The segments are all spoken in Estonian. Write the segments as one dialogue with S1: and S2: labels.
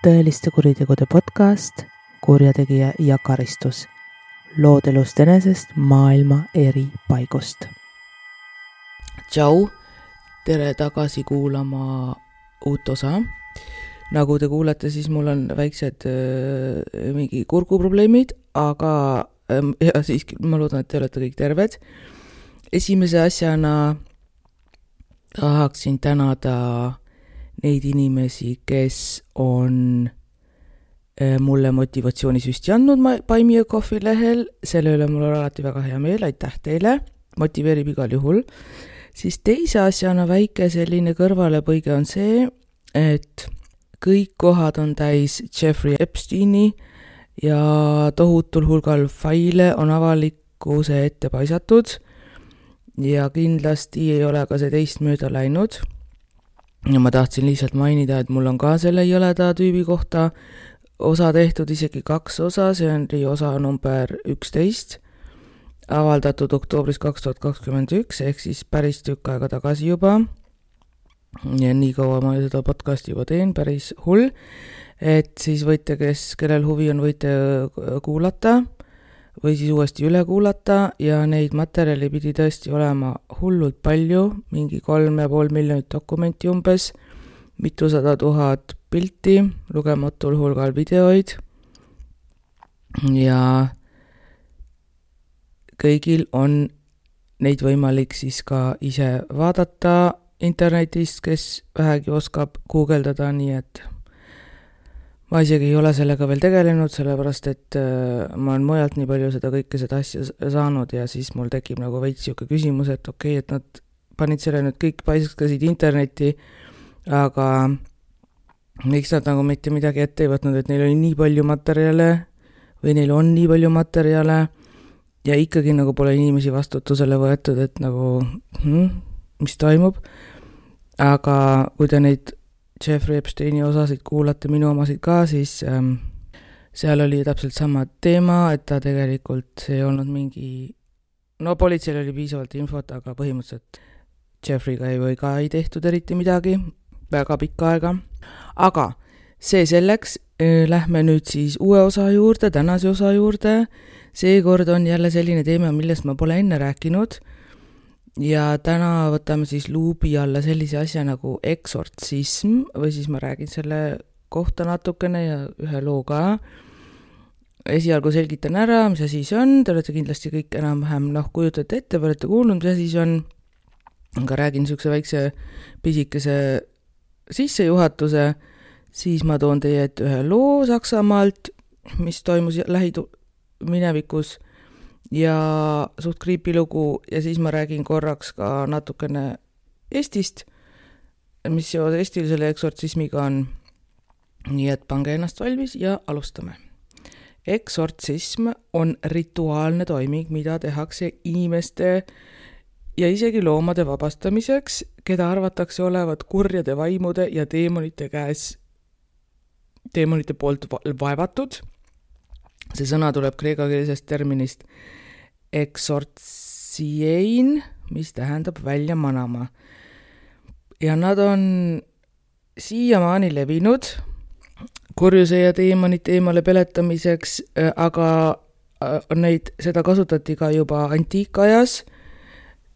S1: tõeliste kuritegude podcast Kurjategija ja karistus. Lood elust enesest maailma eri paigust. Tšau, tere tagasi kuulama uut osa. Nagu te kuulete, siis mul on väiksed mingi kurguprobleemid, aga ja siiski ma loodan, et te olete kõik terved. Esimese asjana tahaksin tänada neid inimesi, kes on mulle motivatsioonisüsti andnud Buy Me a Coffee lehel. Selle üle mul on alati väga hea meel, aitäh teile, motiveerib igal juhul. Siis teise asjana väike selline kõrvalepõige on see, et kõik kohad on täis Jeffrey Epsteini ja tohutul hulgal faile on avalikkuse ette paisatud ja kindlasti ei ole ka see teist mööda läinud. Ja ma tahtsin lihtsalt mainida, et mul on ka selle jõleda tüübi kohta osa tehtud, isegi 2 osa, see on osa number 11, avaldatud oktoobris 2021, ehk siis päris tükk aega tagasi juba. Ja nii kaua ma seda podcasti juba teen, päris hull, et siis võite, kellel huvi on, võite kuulata või siis uuesti üle kuulata ja neid materjali pidi tõesti olema hullult palju, mingi 3,5 miljonit dokumenti umbes, mitusada 000 pilti, lugematul hulgal videoid ja kõigil on neid võimalik siis ka ise vaadata internetist, kes vähegi oskab guugeldada, nii et ma isegi ei ole sellega veel tegelenud, sellepärast et ma olen mujalt nii palju seda asja saanud ja siis mul tekib nagu veits siuke küsimus, et okei, et nad panid selle nüüd kõik paiskasid internetti, aga miks nad nagu mitte midagi ette ei võtnud, et neil oli nii palju materjale või neil on nii palju materjale ja ikkagi nagu pole inimesi vastutusele võetud, et nagu mis toimub. Aga kui te neid Jeffrey Epsteini osasid kuulate, minu omasid ka, siis seal oli täpselt sama teema, et ta tegelikult ei olnud mingi, politseil oli piisavalt infot, aga põhimõtteliselt Jeffreyga ei tehtud eriti midagi, väga pikka aega. Aga see selleks, lähme nüüd siis uue osa juurde, tänase osa juurde. Seekord on jälle selline teema, millest ma pole enne rääkinud. Ja täna võtame siis luubi alla sellise asja nagu eksortsism või siis ma räägin selle kohta natukene ja ühe loo ka. Esialgu selgitan ära, mis asi see on, te olete kindlasti kõik enam-vähem kujutate ette, olete kuulnud, mis asi see on. Aga räägin niisuguse väikse pisikese sissejuhatuse, siis ma toon teie ette ühe loo Saksamaalt, mis toimus lähiminevikus ja suht creepy lugu ja siis ma räägin korraks ka natukene Eestist, mis seos eestilisele eksortsismiga on. Nii et pange ennast valmis ja alustame. Eksortsism on rituaalne toiming, mida tehakse inimeste ja isegi loomade vabastamiseks, keda arvatakse olevat kurjade vaimude ja deemonite poolt vaevatud. See sõna tuleb kreekakeelsest terminist eksortsiein, mis tähendab välja manama. Ja nad on siiamaani levinud kurjuse ja deemonite eemale peletamiseks, aga seda kasutati ka juba antiikajas.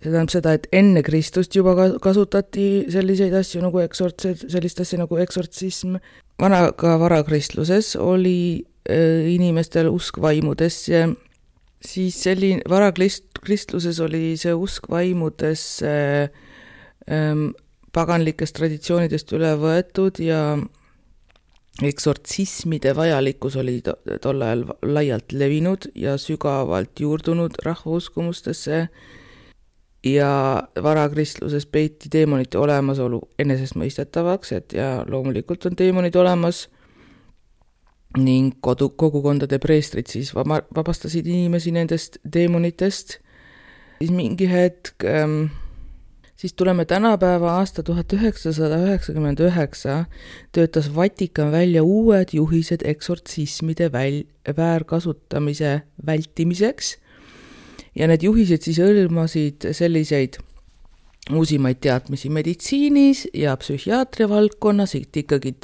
S1: See tähendab seda, et enne Kristust juba kasutati selliseid asju nagu sellist asja nagu eksortsism. Varakristluses oli inimestel usk vaimudesse, siis varakristluses oli see usk vaimudesse paganlikest traditsioonidest üle võetud ja eksortsismide vajalikkus oli tol ajal laialt levinud ja sügavalt juurdunud rahvauskumustesse ja varakristluses peeti deemonite olemasolu enesestmõistetavaks, et ja loomulikult on deemonid olemas ning kogukondade preestrid siis vabastasid inimesi nendest deemonitest. Siis mingi hetk, siis tuleme tänapäeva aasta 1999, töötas Vatikan välja uued juhised eksortsismide väärkasutamise vältimiseks ja need juhised siis hõlmasid selliseid uusimaid teadmisi meditsiinis ja psühhiaatria valdkonnas, et ikkagi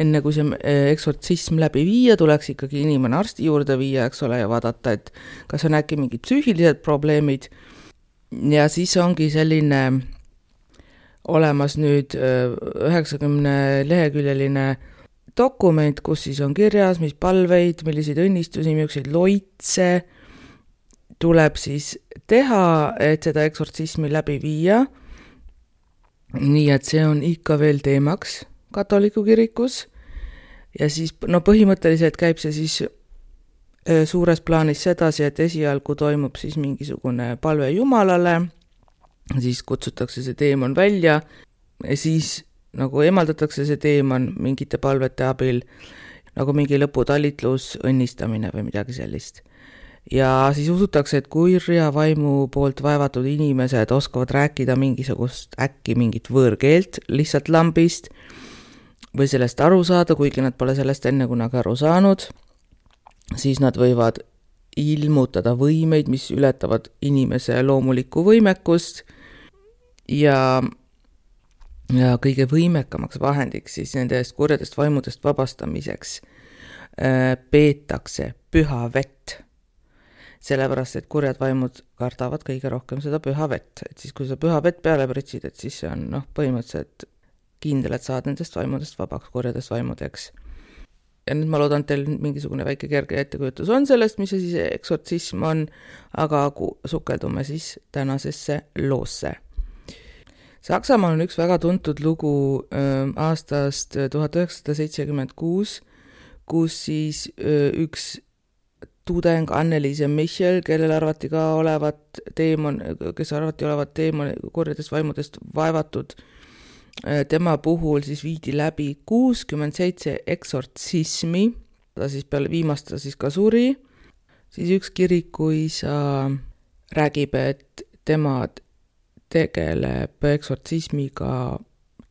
S1: enne kui see eksortsism läbi viia, tuleks ikkagi inimene arsti juurde viia, eks ole, ja vaadata, et kas on äkki mingid psüühilised probleemid. Ja siis ongi selline olemas nüüd 90 leheküljeline dokument, kus siis on kirjas, mis palveid, milliseid õnnistusi, millised loitse tuleb siis teha, et seda eksortsismi läbi viia. Nii et see on ikka veel teemaks katoliku kirikus ja siis põhimõtteliselt käib see siis suures plaanis sedasi, et esialgu toimub siis mingisugune palve Jumalale, siis kutsutakse see teemon välja ja siis nagu eemaldatakse see teemon mingite palvete abil, nagu mingi lõputalitlus, õnnistamine või midagi sellist. Ja siis usutakse, et kurja vaimu poolt vaevatud inimesed oskavad rääkida mingisugust äkki mingit võõrkeelt lihtsalt lambist või sellest aru saada, kuigi nad pole sellest enne kunagi aru saanud. Siis nad võivad ilmutada võimeid, mis ületavad inimese loomulikku võimekust ja kõige võimekamaks vahendiks siis nendest kurjadest vaimudest vabastamiseks peetakse püha vett. Sellepärast, et kurjad vaimud kardavad kõige rohkem seda püha vett. Et siis, kui sa püha vett peale pritsid, et siis see on põhimõtteliselt kindel, et saad nendest vaimudest vabaks, kurjadest vaimudeks. Ja nüüd ma loodan, teil mingisugune väike kerge ettekujutus on sellest, mis see siis eksortsism on, aga sukeldume siis tänasesse loosse. Saksamaal on üks väga tuntud lugu aastast 1976, kus siis üks tudeng Anneliise Michel, kellel arvati ka olevat teemon, kes arvati olevat teemon kurjadest vaimudest vaevatud, tema puhul siis viidi läbi 67 eksortsismi, ta siis peale viimast siis ka suri, siis üks kirikuisa räägib, et tema tegeleb eksortsismiga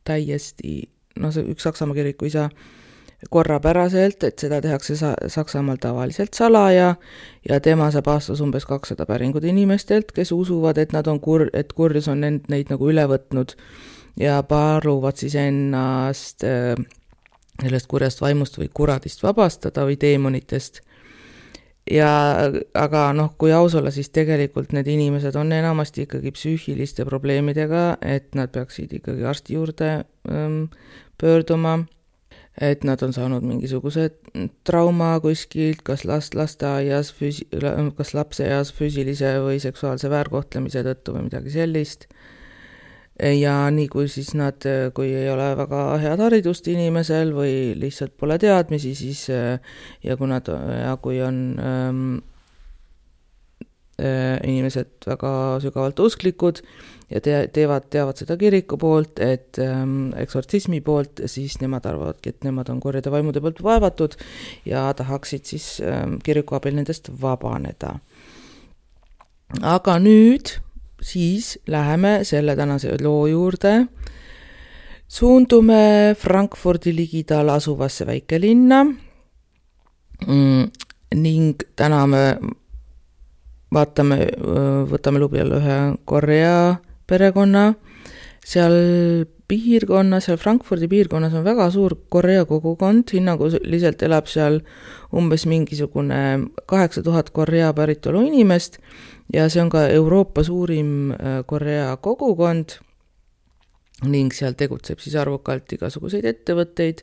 S1: täiesti, see üks Saksamaa kirikuisa korrapäraselt, et seda tehakse Saksamaal tavaliselt salaja ja tema saab aastas umbes 200 päringut inimestelt, kes usuvad, et nad on et kurjus on neid nagu üle võtnud ja paluvad siis ennast sellest kurjast vaimust või kuradist vabastada või teemonitest. Aga kui aus olla, siis tegelikult need inimesed on enamasti ikkagi psüühiliste probleemidega, et nad peaksid ikkagi arsti juurde pöörduma, et nad on saanud mingisuguse trauma kuskilt, kas lasteaias, kas lapseeas füüsilise või seksuaalse väärkohtlemise tõttu või midagi sellist. Ja nii kui siis kui ei ole väga head haridust inimesel või lihtsalt pole teadmisi, siis kui on inimesed väga sügavalt usklikud ja teavad seda kiriku poolt, et eksortsismi poolt, siis nemad arvavadki, et nemad on kurjade vaimude poolt vaevatud ja tahaksid siis kiriku abil nendest vabaneda. Aga nüüd siis läheme selle tänase loo juurde. Suundume Frankfurdi ligidal asuvasse väikelinna ning täna me võtame lubi alla ühe Korea perekonna. Seal Frankfurdi piirkonnas on väga suur Korea kogukond, hinnanguliselt elab seal umbes mingisugune 8000 Korea päritolu inimest ja see on ka Euroopa suurim Korea kogukond ning seal tegutseb siis arvukalt igasuguseid ettevõtteid.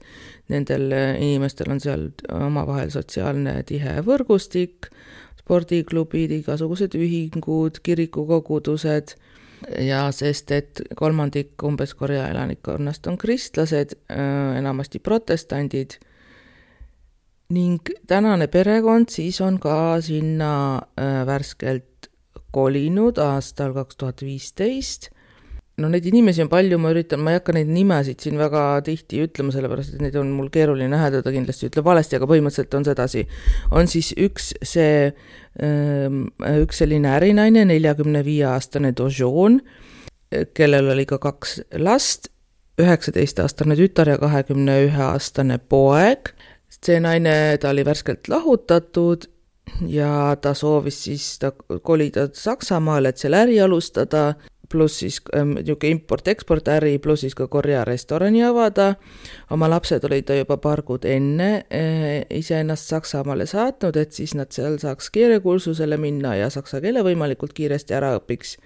S1: Nendel inimestel on seal omavahel sotsiaalne tihe võrgustik, spordiklubid, igasugused ühingud, kirikukogudused ja sest, et 1/3 umbes Korea elanikkonnast on kristlased, enamasti protestandid ning tänane perekond siis on ka sinna värskelt kolinud aastal 2015. Neid inimesi on palju, ma ei hakka neid nimesid siin väga tihti ütlema, sellepärast, et neid on mul keeruline häädada, kindlasti ütleb valesti, aga põhimõtteliselt on sedasi. On siis üks selline ärinaine, 45-aastane Dojoon, kellel oli ka 2 last, 19-aastane tütar ja 21-aastane poeg. See naine, ta oli värskelt lahutatud ja ta soovis siis kolida Saksamaale, et seal äri alustada. pluss siis import-eksport äri, pluss siis ka Korea restorani avada. Oma lapsed olid juba paar kuud enne iseennast Saksamaale saatnud, et siis nad seal saaks keelekursusele minna ja saksa keele võimalikult kiiresti ära õpiks.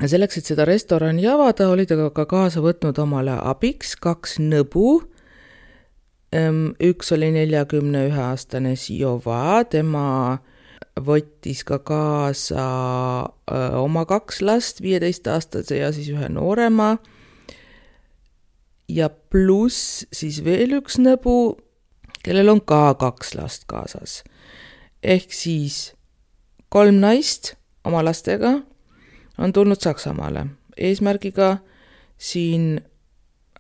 S1: Ja selleks, et seda restorani avada, olid aga ka kaasa võtnud omale abiks 2 nõbu. Üks oli 41-aastane Siova, tema võttis ka kaasa oma 2 last, 15-aastase ja siis 1 noorema. Ja pluss siis veel üks nõbu, kellel on ka 2 last kaasas. Ehk siis 3 naist oma lastega on tulnud Saksamaale eesmärgiga siin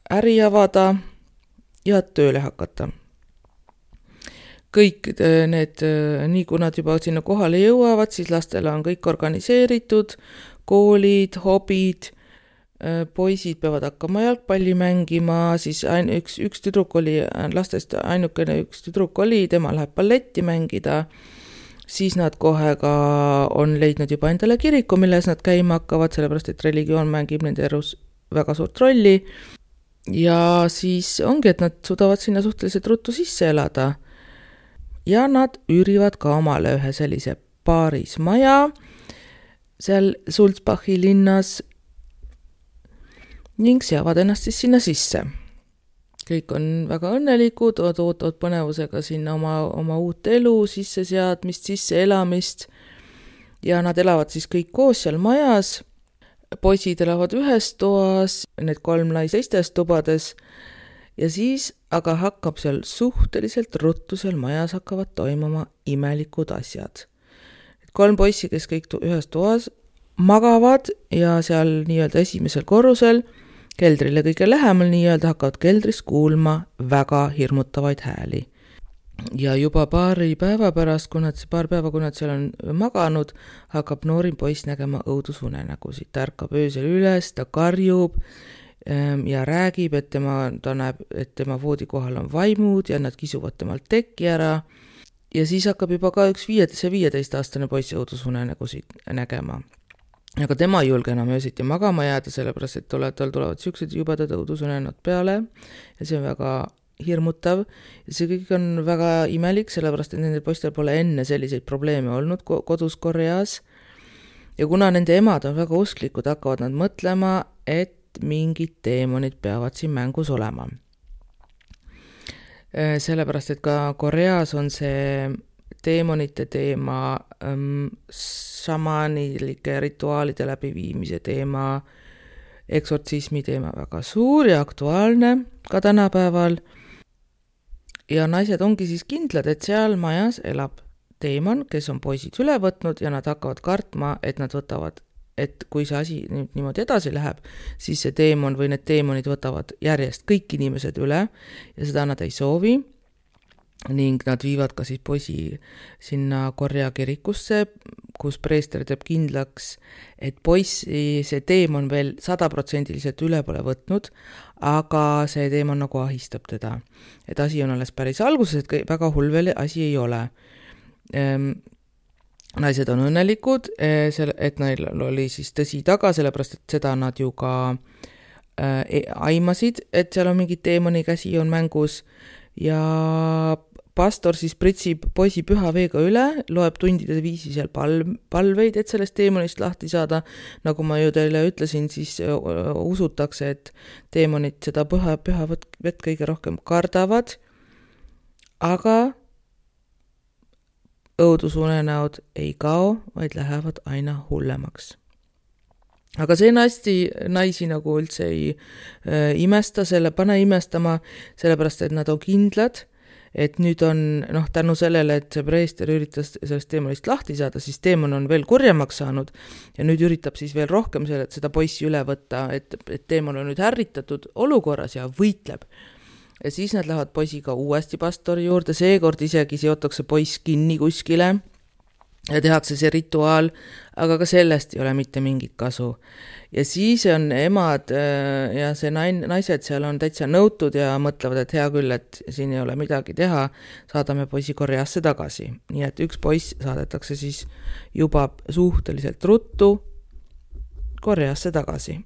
S1: äri avada ja tööle hakata. Kõik need, nii kui nad juba sinna kohale jõuavad, siis lastele on kõik organiseeritud, koolid, hobid, poisid peavad hakkama jalgpalli mängima, siis üks tüdruk oli, lastest ainukene üks tüdruk oli, tema läheb balletti mängida, siis nad kohe ka on leidnud juba endale kiriku, milles nad käima hakkavad, sellepärast et religioon mängib nende elus väga suurt rolli. Ja siis ongi, et nad suudavad sinna suhteliselt ruttu sisse elada. Ja nad üürivad ka omale ühe sellise paarismaja seal Sulzbachi linnas ning seavad ennast siis sinna sisse. Kõik on väga õnnelikud, ootavad põnevusega sinna oma uut elu, sisseseadmist, sisseelamist ja nad elavad siis kõik koos seal majas. Poisid elavad ühes toas, need 3 naist teistes tubades ja siis aga hakkab seal suhteliselt ruttu seal majas hakkavad toimuma imelikud asjad. 3 poissi, kes kõik ühes toas magavad ja seal nii-öelda esimesel korrusel, keldrile kõige lähemal nii-öelda hakkavad keldris kuulma väga hirmutavaid hääli. Ja juba paar päeva pärast, kui nad seal on maganud, hakkab noorim poiss nägema õudusunenägusid. Ta ärkab öösel üles, ta karjub ja räägib, et ta näeb, et tema voodi kohal on vaimud ja nad kisuvad temalt tekki ära. Ja siis hakkab juba ka üks 15-aastane poiss õudusunenägusid nägema. Aga tema ei julge enam öösiti magama jääda, sellepärast et tal tulevad siuksed jubedad õudusunenäod peale ja see on väga hirmutav. Ja see kõik on väga imelik, sellepärast et nendel poistel pole enne selliseid probleeme olnud kodus Koreas. Ja kuna nende emad on väga usklikud, hakkavad nad mõtlema, et mingid teemonid peavad siin mängus olema. Sellepärast, et ka Koreas on see teemonite teema, šamanilike rituaalide läbiviimise teema, eksortsismi teema väga suur ja aktuaalne ka tänapäeval. Ja naised ongi siis kindlad, et seal majas elab teemon, kes on poisid üle võtnud ja nad hakkavad kartma, et kui see asi niimoodi edasi läheb, siis see teemon või need teemonid võtavad järjest kõik inimesed üle ja seda nad ei soovi. Ning nad viivad ka siis poisi sinna Korea kirikusse, kus preester teeb kindlaks, et poissi see teemon veel 100% üle pole võtnud, aga see teemon nagu ahistab teda. Et asi on alles päris alguses, et väga hull veel asi ei ole. Naised on õnnelikud, et neil oli siis tõsi taga, sellepärast et seda nad ju ka aimasid, et seal on mingi teemoni käsi on mängus ja pastor siis pritsib poisi püha veega üle, loeb tundide viisi seal palveid, et sellest teemonist lahti saada. Nagu ma ju teile ütlesin, siis usutakse, et teemonid seda püha vett kõige rohkem kardavad, aga õudusunenäod ei kao, vaid lähevad aina hullemaks. Aga see naisi nagu üldse ei imesta, pane imestama, sellepärast, et nad on kindlad, et nüüd on, tänu sellele, et see preester üritas sellest teemonist lahti saada, siis teemon on veel kurjemaks saanud ja nüüd üritab siis veel rohkem seda poissi üle võtta, et teemon on nüüd ärritatud olukorras ja võitleb. Ja siis nad lähevad poisiga uuesti pastori juurde, seekord isegi seotakse poiss kinni kuskile ja tehakse see rituaal, aga ka sellest ei ole mitte mingit kasu. Ja siis on emad ja see naised seal on täitsa nõutud ja mõtlevad, et hea küll, et siin ei ole midagi teha, saadame poisi Koreasse tagasi. Nii et üks poiss saadetakse siis juba suhteliselt ruttu Koreasse tagasi.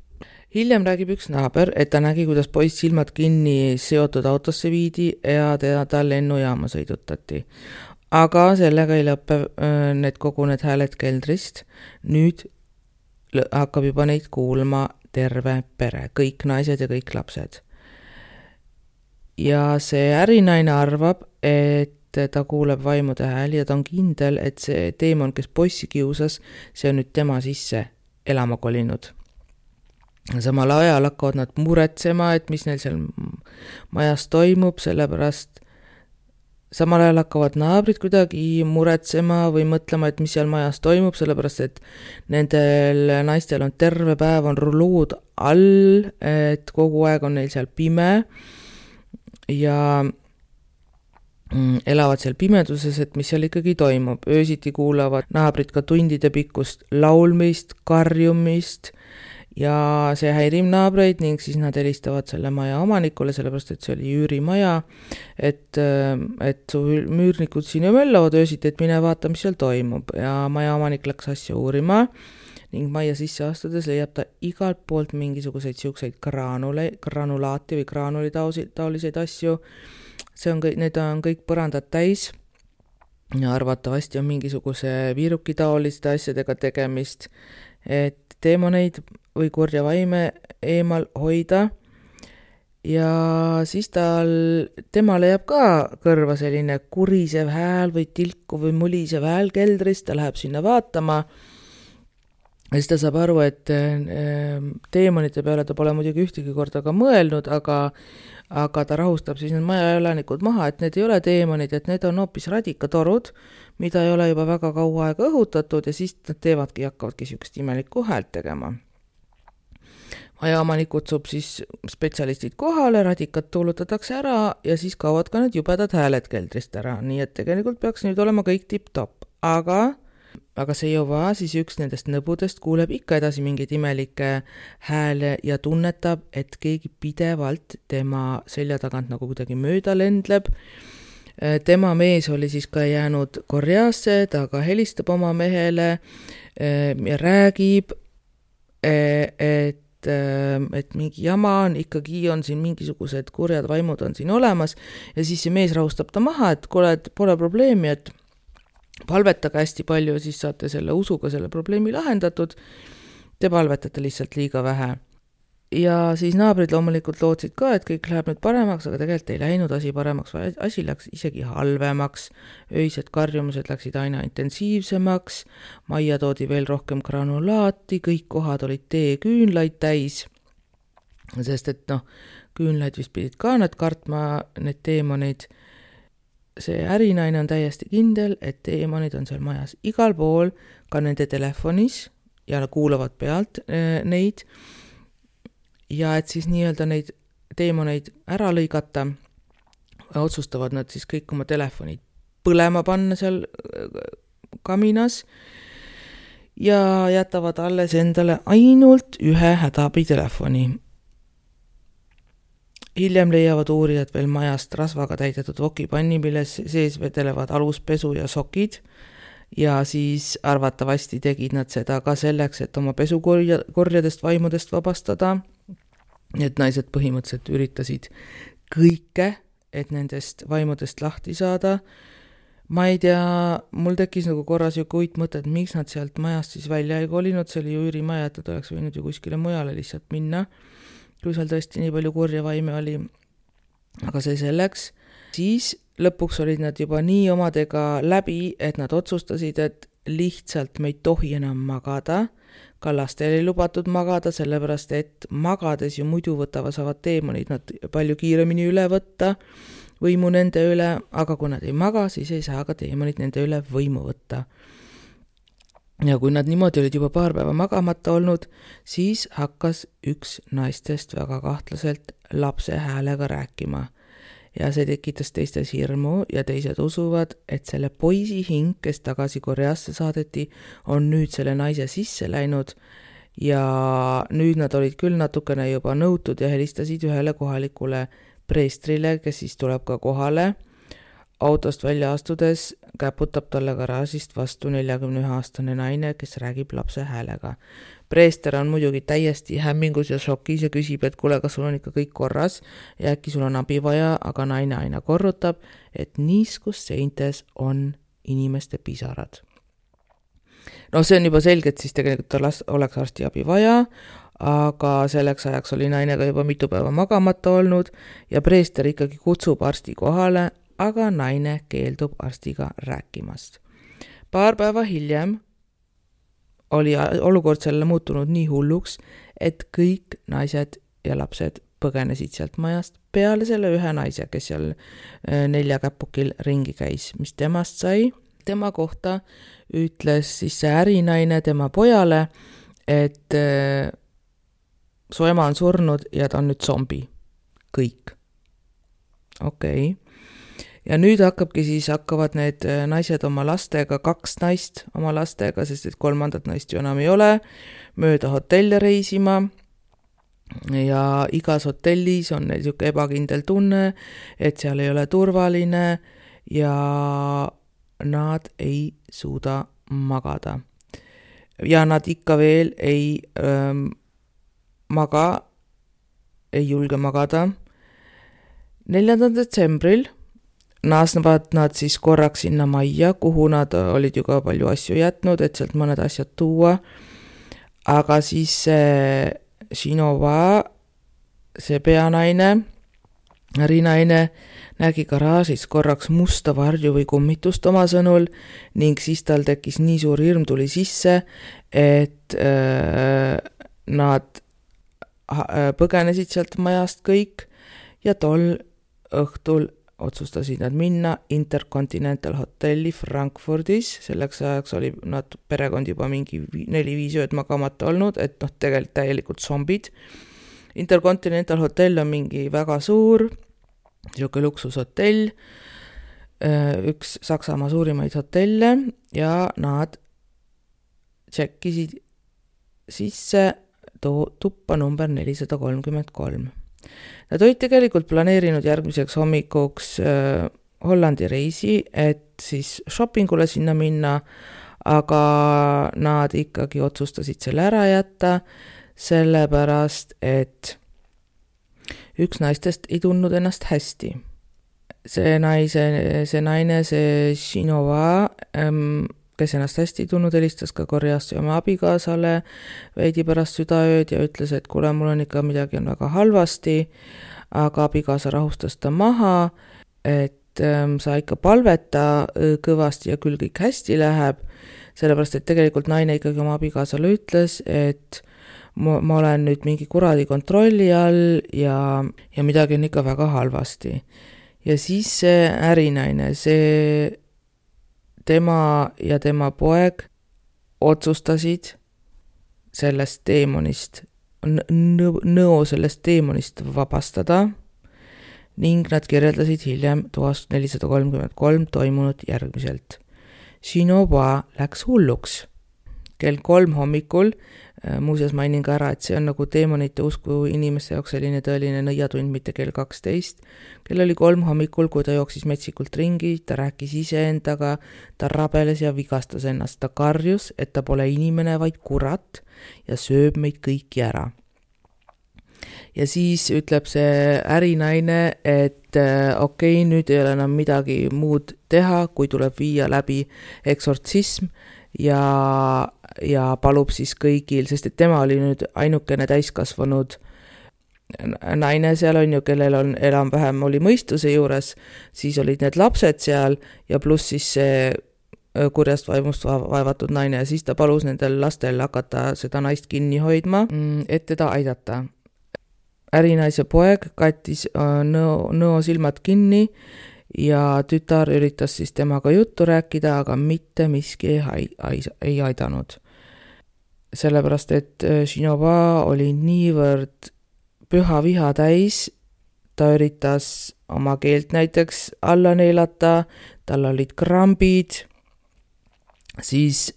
S1: Hiljem räägib üks naaber, et ta nägi, kuidas poiss silmad kinni seotud autosse viidi ja ta lennujaama sõidutati. Aga sellega ei lõppe kogu need hääled keldrist. Nüüd hakkab juba neid kuulma terve pere, kõik naised ja kõik lapsed. Ja see ärinaine arvab, et ta kuuleb vaimude hääli ja ta on kindel, et see teemon, kes poissi kiusas, see on nüüd tema sisse elama kolinud. Samal ajal hakkavad nad muretsema, et mis neil seal majas toimub, sellepärast samal ajal hakkavad naabrid kuidagi muretsema või mõtlema, et mis seal majas toimub, sellepärast et nendel naistel on terve päev on rulood all, et kogu aeg on neil seal pime ja elavad seal pimeduses, et mis seal ikkagi toimub. Öösiti kuulavad naabrid ka tundide pikkust laulmist, karjumist ja see häirib naabreid ning siis nad helistavad selle maja omanikule, sellepärast et see oli üürimaja, et su müürnikud siin ju möllavad öösiti, et mine vaata, mis seal toimub. Ja maja omanik läks asja uurima ning majja sisse astudes leiab ta igalt poolt mingisuguseid siukseid granulaati või graanuli taoliseid asju. Need on kõik põrandad täis ja arvatavasti on mingisuguse viiruki taoliste asjadega tegemist, et teemoneid või kurja vaime eemal hoida. Ja siis temale jääb ka kõrva selline kurisev hääl või tilku või mulisev hääl keldrist, ta läheb sinna vaatama. Ja siis ta saab aru, et teemonite peale ta pole muidugi ühtegi korda ka mõelnud, aga ta rahustab siis need majaelanikud maha, et need ei ole teemonid, et need on hoopis radikatorud, mida ei ole juba väga kaua aega õhutatud ja siis nad hakkavadki siukest imelikku häält tegema. Majaomanik kutsub siis spetsialistid kohale, radikat tuulutatakse ära ja siis kaovad ka need jubedad hääled keldrist ära, nii et tegelikult peaks nüüd olema kõik tipp-topp, aga see juba siis üks nendest nõbudest kuuleb ikka edasi mingeid imelikke hääle ja tunnetab, et keegi pidevalt tema selja tagant nagu kuidagi mööda lendleb. Tema mees oli siis ka jäänud Koreasse, ta ka helistab oma mehele ja räägib, et mingi jama on, ikkagi on siin mingisugused kurjad vaimud on siin olemas ja siis see mees rahustab ta maha, et kuule, et pole probleemi, et palvetage hästi palju, siis saate selle usuga selle probleemi lahendatud. Te palvetate lihtsalt liiga vähe. Ja siis naabrid loomulikult lootsid ka, et kõik läheb nüüd paremaks, aga tegelikult ei läinud asi paremaks, asi läks isegi halvemaks. Öised karjumused läksid aina intensiivsemaks, majja toodi veel rohkem granulaati, kõik kohad olid teeküünlaid täis, sest et küünlaid vist pidid ka nad kartma, need teemonid. See ärinaine on täiesti kindel, et teemonid on seal majas igal pool, ka nende telefonis ja kuulavad pealt neid. Ja et siis nii-öelda neid teemoneid ära lõigata, otsustavad nad siis kõik oma telefonid põlema panna seal kaminas ja jätavad alles endale ainult ühe hädaabitelefoni. Hiljem leiavad uurijad veel majast rasvaga täidetud vokipanni, milles sees vedelevad aluspesu ja sokid ja siis arvatavasti tegid nad seda ka selleks, et oma pesukorjadest vaimudest vabastada. Need naised põhimõtteliselt üritasid kõike, et nendest vaimudest lahti saada. Ma ei tea, mul tekkis nagu korras ju uitmõte, et miks nad sealt majast siis välja ei kolinud, see oli ju üürimaja, et nad oleks võinud ju kuskile mujale lihtsalt minna. Kui seal tõesti nii palju kurja vaime oli, aga see selleks. Siis lõpuks olid nad juba nii omadega läbi, et nad otsustasid, et lihtsalt me ei tohi enam magada. Ka lastel ei lubatud magada, sellepärast et magades ju muidu saavad teemonid nad palju kiiremini üle võtta, võimu nende üle, aga kui nad ei maga, siis ei saa ka teemonid nende üle võimu võtta. Ja kui nad niimoodi olid juba paar päeva magamata olnud, siis hakkas üks naistest väga kahtlaselt lapse häälega rääkima. Ja see tekitas teistes hirmu ja teised usuvad, et selle poisi hing, kes tagasi Koreasse saadeti, on nüüd selle naise sisse läinud ja nüüd nad olid küll natukene juba nõutud ja helistasid ühele kohalikule preestrile, kes siis tuleb ka kohale. Autost välja astudes käputab talle garaažist vastu 41-aastane naine, kes räägib lapse häälega. Preester on muidugi täiesti hämmingus ja šokis ja küsib, et kuule, kas sul on ikka kõik korras ja äkki sul on abi vaja, aga naine aina korrutab, et niiskus seintes on inimeste pisarad. No see on juba selge, et siis tegelikult tal oleks arstiabi vaja, aga selleks ajaks oli naine ka juba mitu päeva magamata olnud ja preester ikkagi kutsub arsti kohale, aga naine keeldub arstiga rääkimast. Paar päeva hiljem oli olukord selle muutunud nii hulluks, et kõik naised ja lapsed põgenesid sealt majast peale selle ühe naise, kes seal 4 käpukil ringi käis, mis temast sai. Tema kohta ütles siis see ärinaine tema pojale, et su ema on surnud ja ta on nüüd zombi. Kõik. Okei. Ja nüüd hakkavad need naised oma lastega, 2 naist oma lastega, sest et 3. naist ju enam ei ole, mööda hotelle reisima. Ja igas hotellis on neil siuke ebakindel tunne, et seal ei ole turvaline ja nad ei suuda magada. Ja nad ikka veel ei julge magada. 4. detsembril naasnevad nad siis korraks sinna majja, kuhu nad olid ju ka palju asju jätnud, et sealt mõned asjad tuua. Aga siis Shinova, see peanaine, ärinaine, nägi garaažis korraks musta varju või kummitust oma sõnul ning siis tal tekkis nii suur hirm tuli sisse, et nad põgenesid sealt majast kõik ja tol õhtul otsustasid nad minna Intercontinental Hotelli Frankfurdis, selleks ajaks oli nad perekond juba mingi 4-5 ööd magamata olnud, et tegelikult täielikult zombid. Intercontinental Hotel on mingi väga suur, siuke luksushotell, üks Saksamaa suurimaid hotelle ja nad tšekkisid sisse tuppa number 433. Nad olid tegelikult planeerinud järgmiseks hommikuks Hollandi reisi, et siis shoppingule sinna minna, aga nad ikkagi otsustasid selle ära jätta, sellepärast, et üks naistest ei tundnud ennast hästi. See naine, see Shinova, kes ennast hästi tundnud, helistas ka Koreast oma abikaasale veidi pärast südaööd ja ütles, et kuule, mul on ikka midagi on väga halvasti, aga abikaasa rahustas ta maha, et sa ikka palveta kõvasti ja küll kõik hästi läheb, sellepärast, et tegelikult naine ikkagi oma abikaasale ütles, et ma olen nüüd mingi kuradi kontrolli all ja midagi on ikka väga halvasti. Ja siis see ärinaine, tema ja tema poeg otsustasid sellest teemonist, nõo sellest teemonist vabastada ning nad kirjeldasid hiljem toast 433 toimunud järgmiselt. Shinova läks hulluks. Kell 3 hommikul, muuseas mainin ka ära, et see on nagu teemonite usku inimeste jaoks selline tõeline nõiatund, mitte kell 12. Kell oli 3 hommikul, kui ta jooksis metsikult ringi, ta rääkis iseendaga, ta rabeles ja vigastas ennast, ta karjus, et ta pole inimene, vaid kurat ja sööb meid kõiki ära. Ja siis ütleb see ärinaine, et okei, nüüd ei ole enam midagi muud teha, kui tuleb viia läbi eksortsism ja palub siis kõigil, sest et tema oli nüüd ainukene täiskasvanud naine seal on ju, kellel on enam-vähem oli mõistuse juures, siis olid need lapsed seal ja pluss siis see kurjast vaimust vaevatud naine ja siis ta palus nendel lastel hakata seda naist kinni hoidma, et teda aidata. Ärinaise poeg kattis nõo silmad kinni ja tütar üritas siis temaga juttu rääkida, aga mitte miski ei aidanud. Sellepärast, et Shinova oli niivõrd püha viha täis, ta üritas oma keelt näiteks alla neelata, tal olid krambid, siis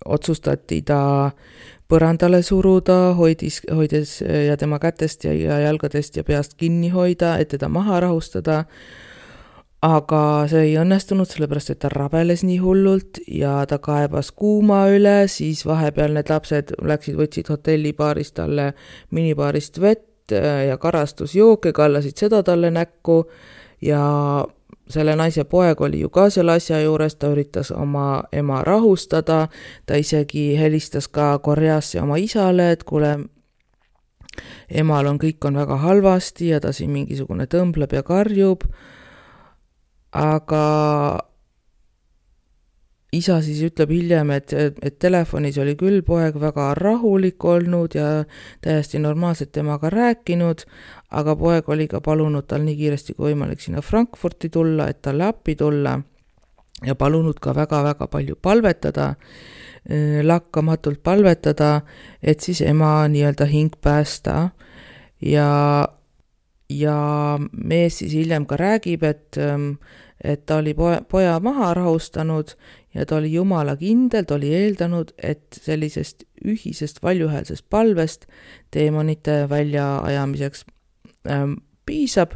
S1: otsustati ta põrandale suruda, hoides ja tema kätest ja jalgadest ja peast kinni hoida, et teda maha rahustada. aga see ei õnnestunud, sellepärast et ta rabeles nii hullult ja ta kaebas kuuma üle, siis vahepeal need lapsed võtsid hotellibaarist talle minibaarist vett ja karastusjooke, kallasid seda talle näkku ja selle naise poeg oli ju ka selle asja juures, ta üritas oma ema rahustada, ta isegi helistas ka Koreasse oma isale, et kuule, emal kõik on väga halvasti ja ta siin mingisugune tõmbleb ja karjub, aga isa siis ütleb hiljem, et telefonis oli küll poeg väga rahulik olnud ja täiesti normaalselt temaga rääkinud, aga poeg oli ka palunud tal nii kiiresti kui võimalik sinna Frankfurti tulla, et talle appi tulla ja palunud ka väga-väga palju palvetada, lakkamatult palvetada, et siis ema nii-öelda hing päästa ja mees siis hiljem ka räägib, et ta oli poja maha rahustanud ja ta oli jumala kindel, ta oli eeldanud, et sellisest ühisest valjuhäälsest palvest teemonite väljaajamiseks piisab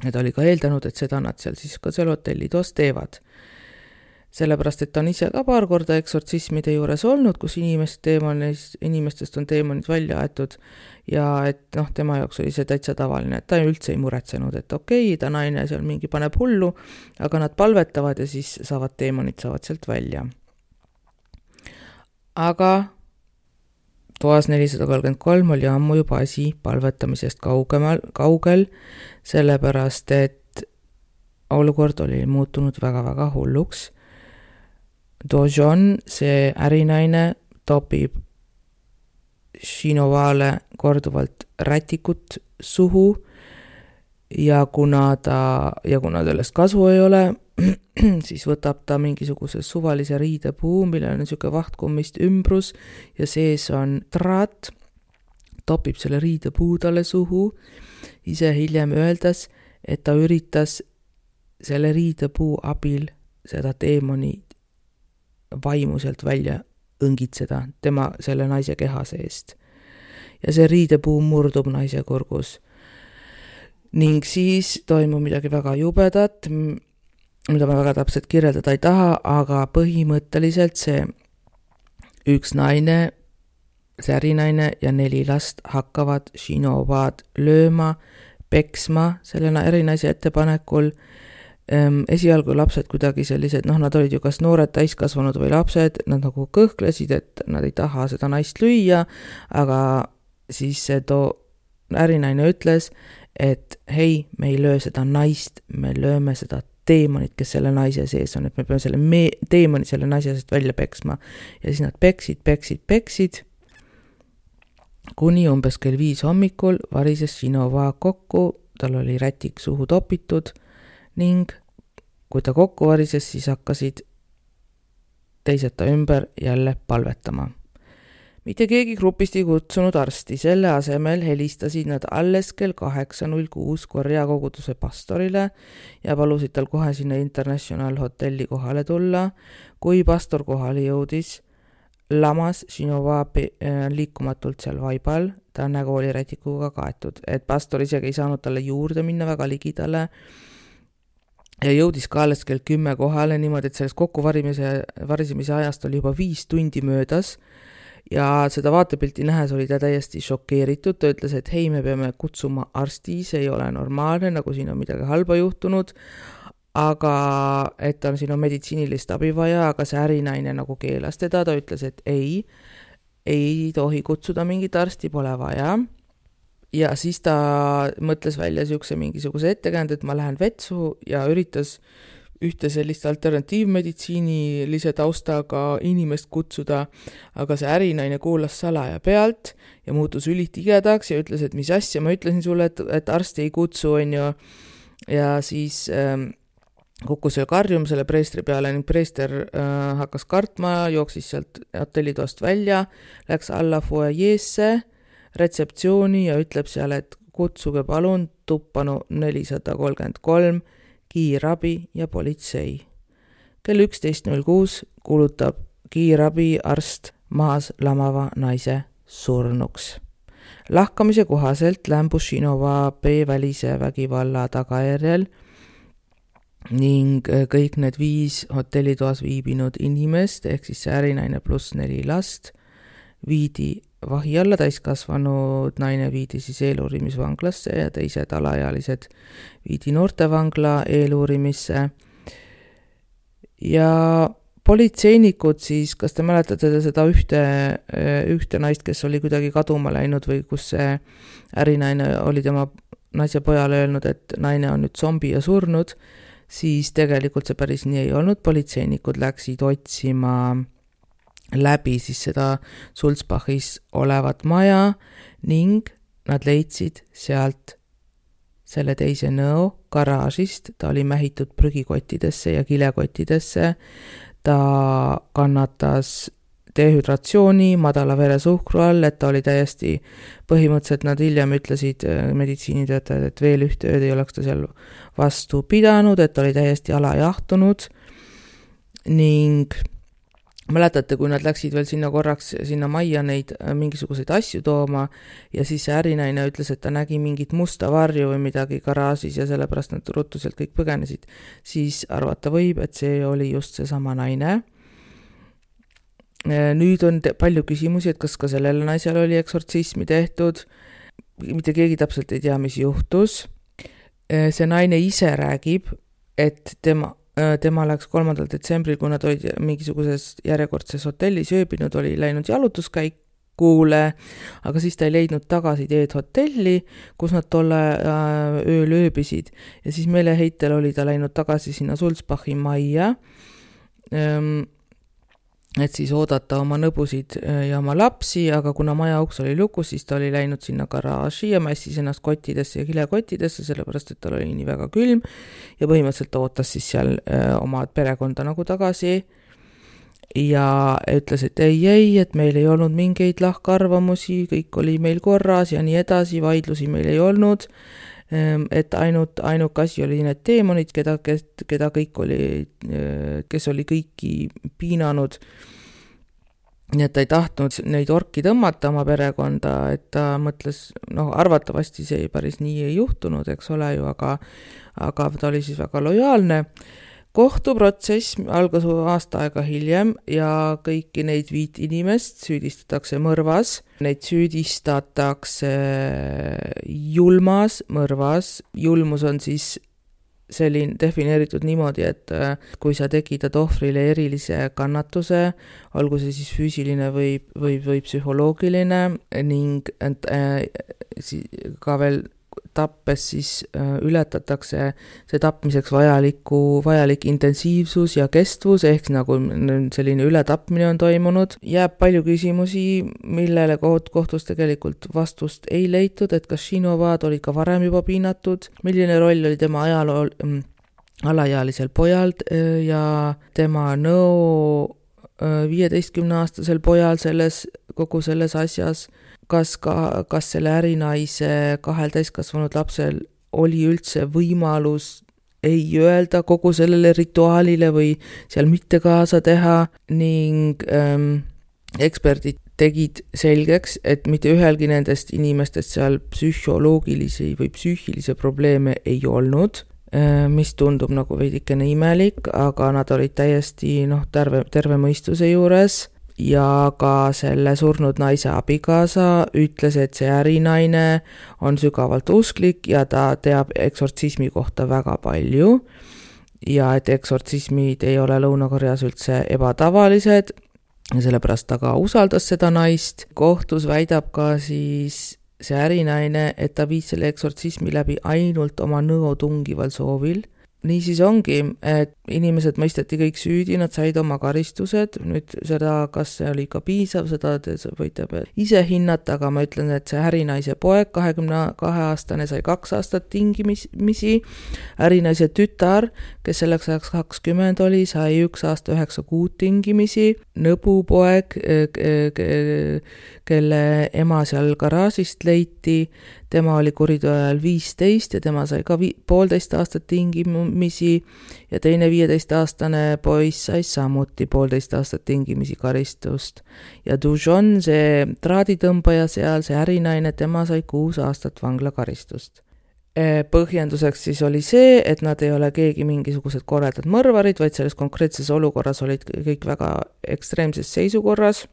S1: ja ta oli ka eeldanud, et seda nad seal siis ka seal hotellitoas teevad. Sellepärast, et ta on ise ka paar korda eksortsismide juures olnud, kus inimestest on teemonid välja aetud ja et tema jaoks oli see täitsa tavaline, et ta üldse ei muretsenud, et okei, ta naine seal mingi paneb hullu, aga nad palvetavad ja siis teemonid saavad sealt välja. Aga toas 433 oli ammu juba asi palvetamisest kaugel, sellepärast, et olukord oli muutunud väga-väga hulluks. Dojon, see ärinaine, topib Shinovale korduvalt rätikut suhu ja kuna sellest kasu ei ole, siis võtab ta mingisuguse suvalise riidepuu, millel on niisugune vahtkummist ümbrus ja sees on traat, topib selle riidepuu talle suhu, ise hiljem öeldes, et ta üritas selle riidepuu abil seda teemoni vaimu sealt välja õngitseda selle naise keha seest. Ja see riidepuu murdub naise kurgus. Ning siis toimub midagi väga jubedat, mida ma väga täpselt kirjeldada ei taha, aga põhimõtteliselt see üks naine, see ärinaine ja 4 last hakkavad Shinovad lööma, peksma selle ärinaise ettepanekul. Esialgu lapsed kuidagi sellised, nad olid ju kas noored täiskasvanud või lapsed, nad nagu kõhklesid, et nad ei taha seda naist lüüa, aga siis see ärinaine ütles, et hei, me ei löö seda naist, me lööme seda teemonit, kes selle naise sees on, et me peame selle teemoni selle naise seest välja peksma. Ja siis nad peksid, kuni umbes kell 5 hommikul varises Shinova kokku, tal oli rätik suhu topitud ning kui ta kokku varises, siis hakkasid teised ta ümber jälle palvetama. Mitte keegi grupist ei kutsunud arsti, selle asemel helistasid nad alles kell 8.06 Korea koguduse pastorile ja palusid tal kohe sinna International hotelli kohale tulla. Kui pastor kohale jõudis, lamas Shinova liikumatult seal vaibal, ta nägu oli rätikuga kaetud, et pastor isegi ei saanud talle juurde minna väga ligidale ja jõudis ka alles kell 10 kohale niimoodi, et sellest kokkuvarisemise ajast oli juba 5 tundi möödas ja seda vaatepilti nähes oli ta täiesti šokeeritud, ta ütles, et hei, me peame kutsuma arsti, see ei ole normaalne, nagu siin on midagi halba juhtunud, aga et siin on meditsiinilist abi vaja, aga see ärinaine nagu keelas teda, ta ütles, et ei tohi kutsuda mingit arsti, pole vaja. Ja siis ta mõtles välja mingisuguse ettekäänd, et ma lähen vetsu ja üritas ühte sellist alternatiivmeditsiinilise taustaga inimest kutsuda, aga see ärinaine kuulas salaja pealt ja muutus ülitigedaks ja ütles, et mis asja, ma ütlesin sulle, et arsti ei kutsu, on ju. Ja siis kukkus seal karjum selle preestri peale ning preester hakkas kartma, jooksis sealt hotellitoast välja, läks alla foajeesse, retseptsiooni ja ütleb seal, et kutsuge palun tuppanu 433, kiirabi ja politsei. Kell 11.06 kuulutab kiirabi arst maas lamava naise surnuks. Lahkamise kohaselt lämbus Shinova B-välise vägivalla tagajärjel ning kõik need 5 hotellitoas viibinud inimest, ehk siis see ärinaine pluss 4 last, viidi vahi alla, täiskasvanud naine viidi siis eeluurimisvanglasse ja teised alaealised viidi noortevangla eeluurimisse. Ja politseinikud siis, kas te mäletate seda ühte naist, kes oli kuidagi kaduma läinud või kus see ärinaine oli tema naise pojale öelnud, et naine on nüüd zombi ja surnud, siis tegelikult see päris nii ei olnud. Politseinikud läksid otsima läbi siis seda Sulzbachis olevat maja ning nad leidsid sealt selle teise nõo garaažist. Ta oli mähitud prügikottidesse ja kilekottidesse. Ta kannatas dehüdratsiooni, madala veresuhkru all, et ta oli täiesti põhimõtteliselt, nad hiljem ütlesid meditsiinitöötajad, et veel ühte ööd ei oleks ta seal vastu pidanud, et ta oli täiesti alajahtunud ning mäletate, kui nad läksid veel sinna majja neid mingisuguseid asju tooma ja siis see ärinaine ütles, et ta nägi mingit musta varju või midagi garaažis ja sellepärast nad ruttu sealt kõik põgenesid, siis arvata võib, et see oli just seesama naine. Nüüd on palju küsimusi, et kas ka sellele naisele oli eksortsismi tehtud. Mitte keegi täpselt ei tea, mis juhtus. See naine ise räägib, et tema läks 3. detsembril, kui nad olid mingisuguses järjekordses hotellis ööbinud, oli läinud jalutuskäikule, aga siis ta ei leidnud tagasi teed hotelli, kus nad tolle ööl ööbisid. Ja siis meeleheitel oli ta läinud tagasi sinna Sulzbachi majja, et siis oodata oma nõbusid ja oma lapsi, aga kuna maja uks oli lukus, siis ta oli läinud sinna garaaži ja mässis ennast kottidesse ja kilekottidesse, sellepärast, et tal oli nii väga külm ja põhimõtteliselt ootas siis seal oma perekonda nagu tagasi ja ütles, et ei, et meil ei olnud mingeid lahkarvamusi, kõik oli meil korras ja nii edasi, vaidlusi meil ei olnud, et ainuke asi oli need teemonid, keda kõik oli, kes oli kõiki piinanud. Nii et ta ei tahtnud neid orki tõmmata oma perekonda, et ta mõtles, arvatavasti see päris nii ei juhtunud, eks ole ju, aga ta oli siis väga lojaalne. Kohtuprotsess algas aasta aega hiljem ja kõiki neid 5 inimest süüdistatakse mõrvas. Neid süüdistatakse julmas mõrvas. Julmus on siis selline defineeritud niimoodi, et kui sa tekitad ohvrile erilise kannatuse, olgu see siis füüsiline või psühholoogiline ning ka veel tappes siis ületatakse see tapmiseks vajalik intensiivsus ja kestvus, ehk nagu selline ületapmine on toimunud. Jääb palju küsimusi, millele kohtus tegelikult vastust ei leitud, et kas Šinovad olid ka varem juba piinatud, milline roll oli tema alaealisel pojal ja tema nõu 15-aastasel pojal kogu selles asjas, kas selle ärinaise 2 täiskasvanud lapsel oli üldse võimalus ei öelda kogu sellele rituaalile või seal mitte kaasa teha ning eksperdid tegid selgeks, et mitte ühelgi nendest inimestest seal psühholoogilisi või psüühilisi probleeme ei olnud, mis tundub nagu veidikene imelik, aga nad olid täiesti terve mõistuse juures. Ja ka selle surnud naise abikaasa ütles, et see ärinaine on sügavalt usklik ja ta teab eksortsismi kohta väga palju ja et eksortsismid ei ole Lõuna-Koreas üldse ebatavalised ja sellepärast ta ka usaldas seda naist. Kohtus väidab ka siis see ärinaine, et ta viis selle eksortsismi läbi ainult oma nõo tungival soovil. Nii siis ongi, et inimesed mõisteti kõik süüdi, nad said oma karistused, nüüd seda, kas see oli ka piisav, seda te võite ise hinnata, aga ma ütlen, et see ärinaise poeg, 22-aastane, sai 2 aastat tingimisi, ärinaise tütar, kes selleks ajaks 20 oli, sai 1 aasta 9 kuud tingimisi, nõbupoeg, kelle ema seal garaažist leiti, tema oli kuriteo ajal 15 ja tema sai ka 1,5 aastat tingimisi ja teine 15-aastane poiss sai samuti 1,5 aastat tingimisi karistust. Ja Dujon, see traaditõmbaja seal, see ärinaine, tema sai 6 aastat vanglakaristust. Põhjenduseks siis oli see, et nad ei ole keegi mingisugused koledad mõrvarid, vaid selles konkreetses olukorras olid kõik väga ekstreemses seisukorras,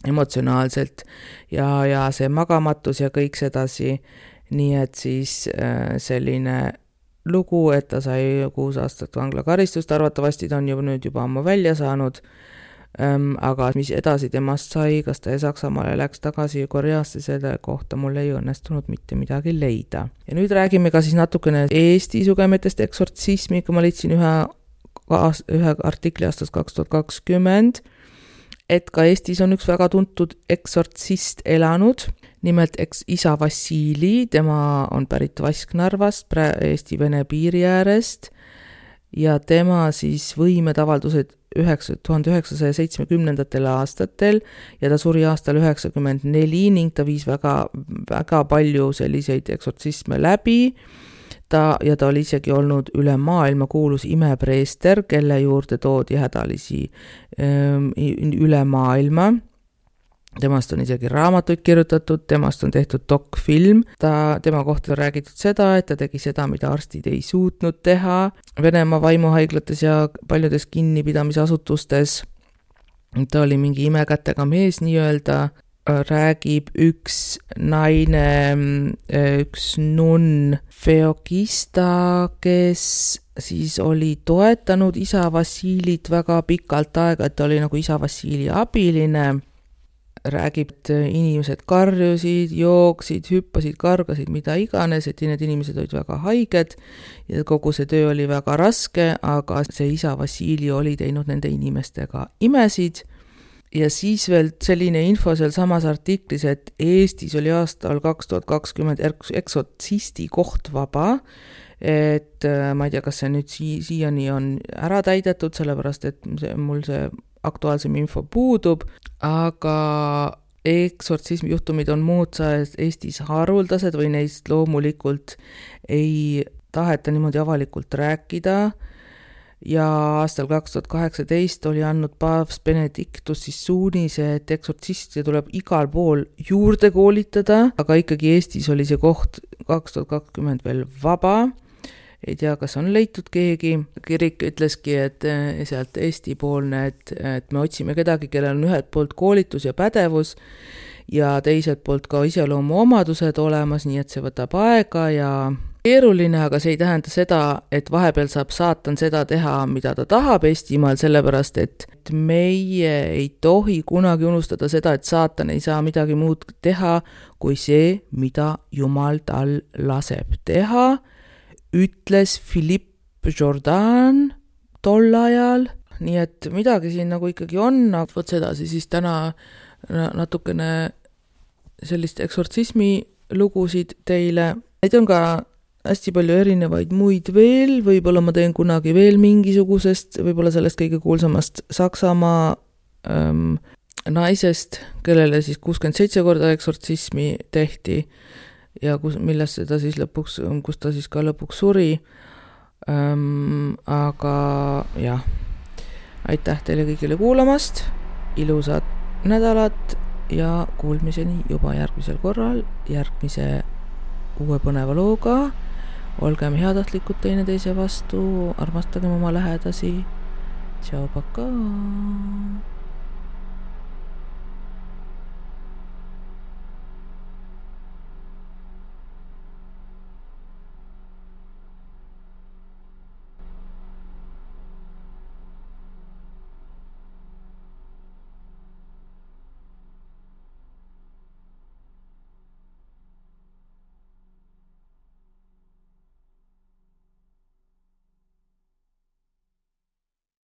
S1: emotsionaalselt ja see magamatus ja kõik sedasi, nii et siis selline lugu, et ta sai 6 aastat vanglakaristust, arvatavasti ta on nüüd juba ammu välja saanud, aga mis edasi temast sai, kas ta Saksamaale läks tagasi Koreasse, selle kohta mul ei õnnestunud mitte midagi leida. Ja nüüd räägime ka siis natukene Eesti sugemetest eksortsismi, kui ma leidsin ühe artikli aastast 2020, et ka Eestis on üks väga tuntud eksortsist elanud, nimelt isa Vassili, tema on pärit Vasknarvast, Eesti-Vene piiri äärest, ja tema siis võimed avaldused 1970. aastatel ja ta suri aastal 94 ning ta viis väga palju selliseid eksortsisme läbi. Ta oli isegi olnud üle maailma kuulus imepreester, kelle juurde toodi hädalisi üle maailma. Temast on isegi raamatuid kirjutatud, temast on tehtud dokfilm. Tema kohta on räägitud seda, et ta tegi seda, mida arstid ei suutnud teha Venemaa vaimuhaiglates ja paljudes kinnipidamisasutustes. Ta oli mingi imekätega mees nii-öelda. Räägib üks naine, üks nunn Feokista, kes siis oli toetanud isa Vassilit väga pikalt aega, et ta oli nagu isa Vassili abiline. Räägib, et inimesed karjusid, jooksid, hüppasid, kargasid, mida iganes, et need inimesed olid väga haiged ja kogu see töö oli väga raske, aga see isa Vassili oli teinud nende inimestega imesid. Ja siis veel selline info seal samas artiklis, et Eestis oli aastal 2020 eksortsisti koht vaba, et ma ei tea, kas see nüüd siiani on ära täidetud, sellepärast et mul see aktuaalsem info puudub, aga eksortsismi juhtumid on muudsa Eestis haruldased või neist loomulikult ei taheta niimoodi avalikult rääkida. Ja aastal 2018 oli andnud paavst Benedictus siis suunise, et eksortsiste tuleb igal pool juurde koolitada, aga ikkagi Eestis oli see koht 2020 veel vaba. Ei tea, kas on leitud keegi. Kirik ütleski, et sealt Eesti poolne, et me otsime kedagi, kellel on ühelt poolt koolitus ja pädevus ja teiselt poolt ka iseloomu omadused olemas, nii et see võtab aega ja keeruline, aga see ei tähenda seda, et vahepeal saab saatan seda teha, mida ta tahab Eestimaal, sellepärast et meie ei tohi kunagi unustada seda, et saatan ei saa midagi muud teha kui see, mida Jumal tal laseb teha, ütles Philippe Jourdan tol ajal, nii et midagi siin nagu ikkagi on, aga võt sedasi siis täna natukene sellist eksortsismi lugusid teile. Neid on ka hästi palju erinevaid muid veel, võib-olla ma teen kunagi veel mingisugusest, võib-olla sellest kõige kuulsamast Saksamaa naisest, kellele siis 67 korda eksortsismi tehti ja millest seda siis lõpuks, kus ta siis ka lõpuks suri. Aga jah, aitäh teile kõigile kuulamast, ilusat nädalat ja kuulmiseni juba järgmisel korral, järgmise uue põneva looga. Olgem heatahtlikud teineteise vastu, armastagem oma lähedasi. Tšau, pakaa!